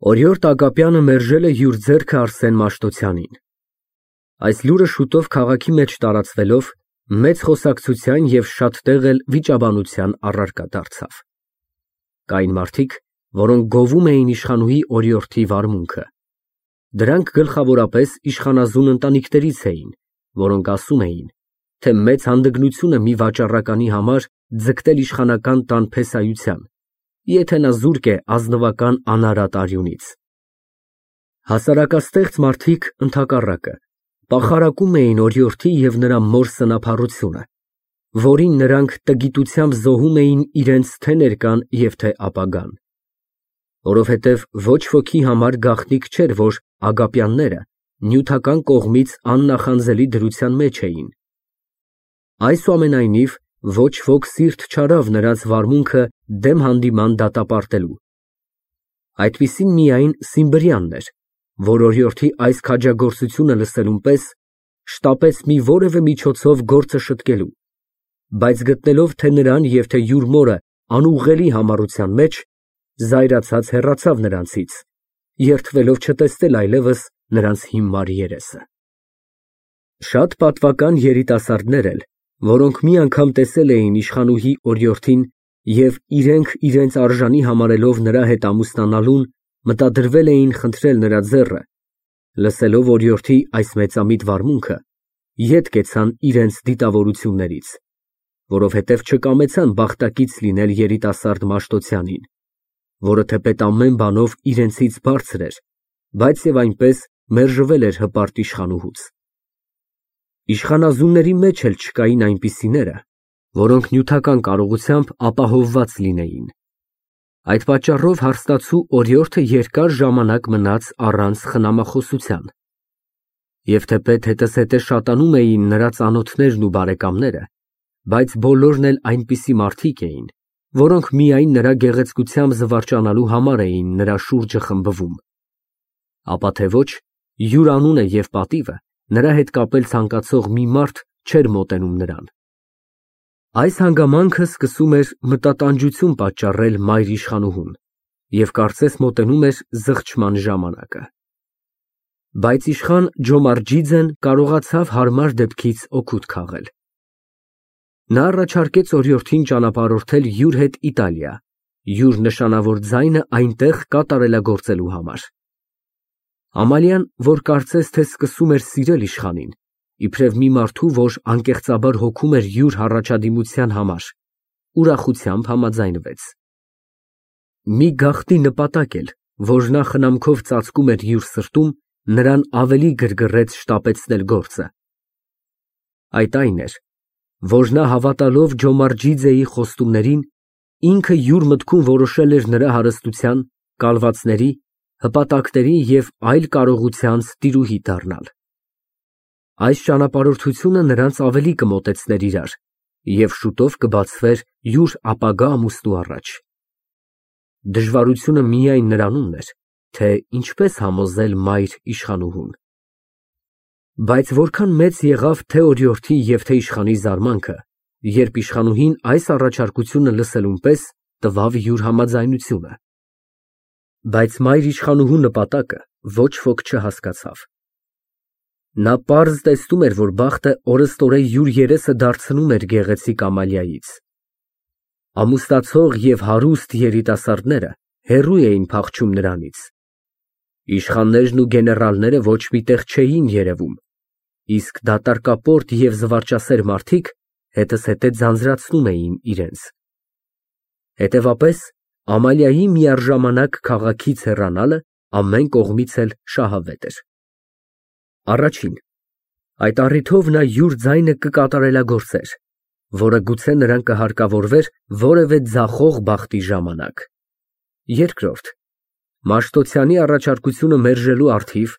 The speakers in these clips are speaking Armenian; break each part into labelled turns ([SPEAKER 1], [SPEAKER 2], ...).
[SPEAKER 1] Օրիորդ Ագապյանը մերժել է յուր ձեռքը Արսեն Մաշտոցյանին։ Այս լուրը շուտով քաղաքի մեջ տարածվելով, մեծ խոսակցության և շատ տեղ էլ վիճաբանության առարկա դարձավ։ Կային մարդիկ, որոնք գովում էին իշխանուհի օրիորդի վարմունքը։ Դրանք գլխավորապես իշխանազուն ընտանիքներից էին, որոնք ասում էին, թե մեծ հանդգնություն է մի վաճառականի համար ձգտել իշխանական տան փեսայության, եթե նա զուրկ է ազնվական անարատ արյունից։ Հասարակաստեղծ մարդիկ, ընդհակառակը, պախարակում էին օրիորդի և նրա մոր սնափառությունը, որին նրանք տգիտությամբ զոհում էին իրենց թե ներկան և թե ապագան։ Որովհետև ոչ ոքի համար գաղտնիք չէր, որ Ագապյանները նյութական կողմից աննախանձելի դրության մեջ էին։ Այսուամենայնիվ, ոչ ոք սիրտ չարավ նրանց վարմունքը դեմ հանդիման դատապարտելու։ Այդպիսին միայն Սիմբրյանն էր, որ օրիորդի այս քաջագործությունը լսելուն պես շտապեց մի որևէ միջոցով գործը շտկելու, բայց գտնելով թե նրան և թե յուր մորը անուղղելի համառության մեջ, զայրացած հեռացավ նրանցից, երդվելով չտեսնել այլևս նրանց հիմար երեսը։ Շատ պատվական երիտասարդներ էլ, որոնք մի անգամ տեսել էին իշխանուհի օրիորդին և իրենք իրենց արժանի համարելով նրա հետ ամուսնանալուն, մտադրվել էին խնդրել նրա ձեռը, լսելով օրիորդի այս մեծամիտ վարմունքը, ետ կեցան իրենց դիտավորություններից, որովհետև չկամեցան բախտակից լինել երիտասարդ Մաշտոցյանին, որը թեպետ ամեն բանով իրենցից բարձր էր, բայց և այնպես մերժվել էր հպարտ իշխանուհուց։ Իշխանազունների մեջ էլ չկային այնպիսիները, որոնք նյութական կարողությամբ ապահովված լինեին։ Այդ պատճառով հարստացու օրիորդը երկար ժամանակ մնաց առանց խնամախոսության։ Եվ թեպետ հետզհետե շատանում էին նրա ծանոթներն ու բարեկամները, բայց բոլորն էլ այնպիսի մարդիկ էին, որոնք միայն նրա գեղեցկությամբ զվարճանալու համար էին նրա շուրջը խմբվում, ապա թե ոչ, յուր անունը և պատիվը նրա հետ կապել ցանկացող մի մարդ չէր մոտենում նրան։ Այս հանգամանքը սկսում էր մտատանջություն պատճառել մայր իշխանուհուն և կարծես մոտենում էր զղջման ժամանակը։ Բայց իշխան Ջոմարջիձեն կարողացավ հարմար դեպքից օգուտ քաղել։ Նա առաջարկեց օրիորդին ճանապարհորդել յուր հետ Իտալիա, յուր նշանավոր ձայնը այնտեղ կատարելագործելու համար։ Ամալիան, որ կարծես թե սկսում էր սիրել իշխանին, իբրև մի մարդու, որ անկեղծաբար հոգում էր յուր հառաջադիմության համար, ուրախությամբ համաձայնվեց։ Մի գաղտնի նպատակ էլ, որ նա խնամքով ծածկում էր յուր սրտում, նրան ավելի գրգռեց շտապեցնել գործը։ Այդ այն էր, որ նա հավատալով Ջոմարջիձեի խոստումներին, ինքը յուր մտքում որոշել էր նրա հարստության, կալվածների, հպատակների և այլ կարողությանց տիրուհի դառնալ։ Այս ճանապարհորդությունը նրանց ավելի կմոտեցներ իրար և շուտով կբացվեր յուր ապագա ամուսնու առաջ։ Դժվարությունը միայն նրանումն էր, թե ինչպես համոզել մայր իշխանուհուն։ Բայց որքան մեծ եղավ թե օրիորդի և թե իշխանի զարմանքը, երբ իշխանուհին այս առաջարկությունը լսելուն պես տվավ յուր համաձայնությունը։ Բայց մայր իշխանուհու նպատակը ոչ ոք չհասկացավ։ Նա պարզ տեսնում էր, որ բախտը օրըստօրե յուր երեսը դարձնում էր գեղեցիկ Ամալիայից։ Ամուսնացող և հարուստ երիտասարդները հեռու էին փախչում նրանից։ Իշխաններն ու գեներալները ոչ մի տեղ չէին երևում, իսկ դատարկապորտ և զվարճասեր մարդիկ հետզհետե ձանձրացնում էին իրենց։ Հետևապես, Ամալիայի միառժամանակ քաղաքից հեռանալը ամեն կողմից էլ շահավետ էր։ Առաջին, այդ առիթով նա յուր ձայնը կկատարելագործեր, որը գուցե նրան կհարկավորվեր որևէ ձախող բախտի ժամանակ։ Երկրորդ, Մաշտոցյանի առաջարկությունը մերժելու առթիվ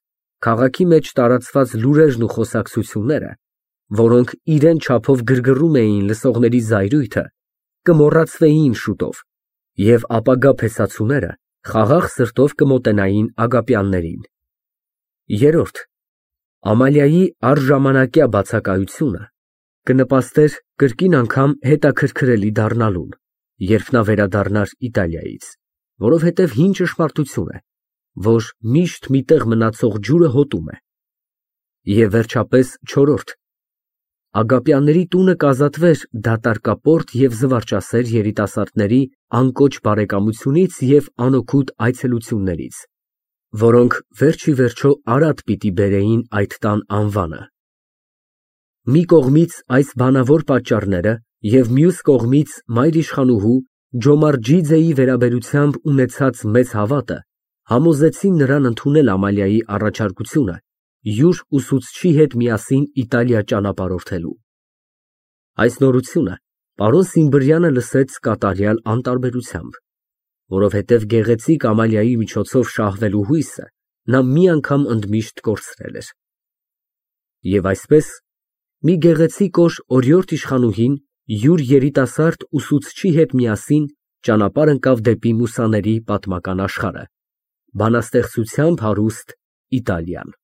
[SPEAKER 1] քաղաքի մեջ տարածված լուրերն ու խոսակցությունները, որոնք իրեն չափով գրգռում էին լսողների զայրույթը, կմոռացվեին շուտով, և ապագա փեսացուները խաղաղ սրտով կմոտենային Ագապյաններին։ Երրորդ, Ամալիայի առժամանակյա բացակայությունը կնպաստեր կրկին անգամ հետաքրքրելի դառնալուն, երբ նա վերադառնար Իտալիայից, որովհետև հին ճշմարտություն է, որ միշտ մի տեղ մնացող ջուրը հոտում է։ Եվ վերջապես չորրորդ. Ագապյանների տունը կազատվեր դատարկապորտ և զվարճասեր երիտասարդների անկոչ բարեկամությունից և անօգուտ այցելություններից, որոնք վերջիվերջո արատ պիտի բերեին այդ տան անվանը։ Մի կողմից այս բանավոր պատճառները և մյուս կողմից մայրիշխանուհու Ջոմարջիձեի վերաբերությամբ ունեցած մեծ հավատը համոզեցին նրան ընդունել Ամալիայի առաջարկությունը յուր ուսուցչի հետ միասին Իտալիա ճանապարհորդելու։ Այս նորությունը պարոն Սիմբրյանը լսեց կատարյալ անտարբերությամբ, որովհետև գեղեցիկ Ամալիայի միջոցով շահվելու հույսը նա մի անգամ ընդմիշտ կորցրել էր։ Եվ այսպես, մի գեղեցիկ օր օրիորդ իշխանուհին յուր երիտասարդ ուսուցչի հետ միասին ճանապարհ ընկավ դեպի մուսաների պատմական աշխարհը, բանաստեղծությամբ հարուստ Իտալիան։